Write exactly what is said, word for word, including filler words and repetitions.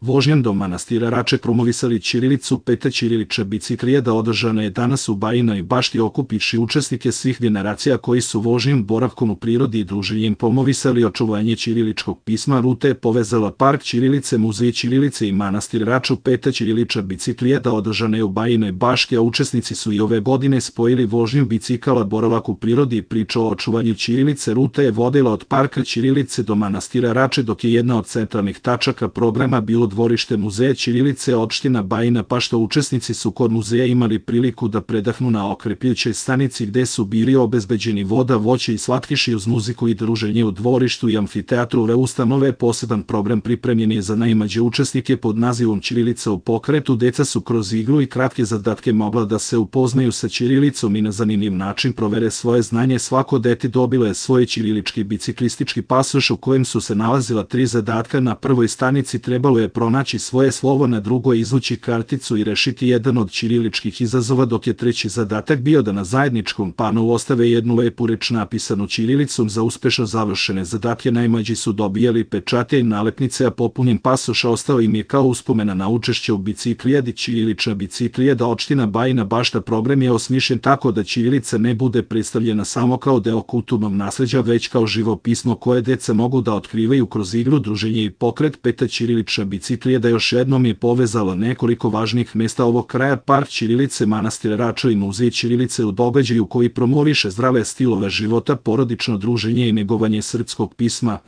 Vožnjom do manastira Rače promovisali ćirilicu. Peta ćirilična biciklijada održana je danas u Bajinoj Bašti okupivši učesnike svih generacija koji su vožnjom, boravkom u prirodi i druženjem promovisali očuvanje ćiriličkog pisma. Ruta je povezala park ćirilice, muzej ćirilice i manastir Raču. Peta ćirilična biciklijada održana je u Bajinoj Bašti, a učesnici su i ove godine spojili vožnju bicikala, boravak u prirodi i priču o očuvanju ćirilice. Ruta je vodila od parka ćirilice do manastira Rače, dok je jedna od centralnih tačaka programa bilo dvorište muzeja ćirilice opština Bajina Bašta. Učesnici su kod muzeja imali priliku da predahnu na okrepljujućoj stanici gde su bili obezbeđeni voda, voće i slatkiši uz muziku i druženje u dvorištu i amfiteatru ove ustanove. Poseban program pripremljen je za najmlađe učesnike pod nazivom Ćirilica u pokretu. Deca su kroz igru i kratke zadatke mogla da se upoznaju sa ćirilicom i na zanimljiv način provere svoje znanje. Svako dete dobilo je svoj ćirilički biciklistički pasoš u kojem su se nalazila tri zadatka. Na prvoj stanici trebalo je pronaći svoje slovo, na drugoj izvući karticu i rešiti jedan od ćiriličkih izazova, dok je treći zadatak bio da na zajedničkom panu ostave jednu lepu reč napisanu ćirilicom. Za uspešno završene zadatke najmlađi su dobijali pečate i nalepnice, a popunjen pasoš ostao im je kao uspomena na učešće u biciklijadi. Ćirilična biciklijada opština Bajina Bašta program je osmišljen tako da ćirilica ne bude predstavljena samo kao deo kulturnog nasleđa, već kao živo pismo koje deca mogu da otkrivaju kroz igru, druženje i pokret. Peta ćirilična biciklijada još jednom je povezala nekoliko važnih mesta ovog kraja: park ćirilice, manastir Rača i muzej ćirilice u događaju koji promoviše zdrave stilove života, porodično druženje i negovanje srpskog pisma.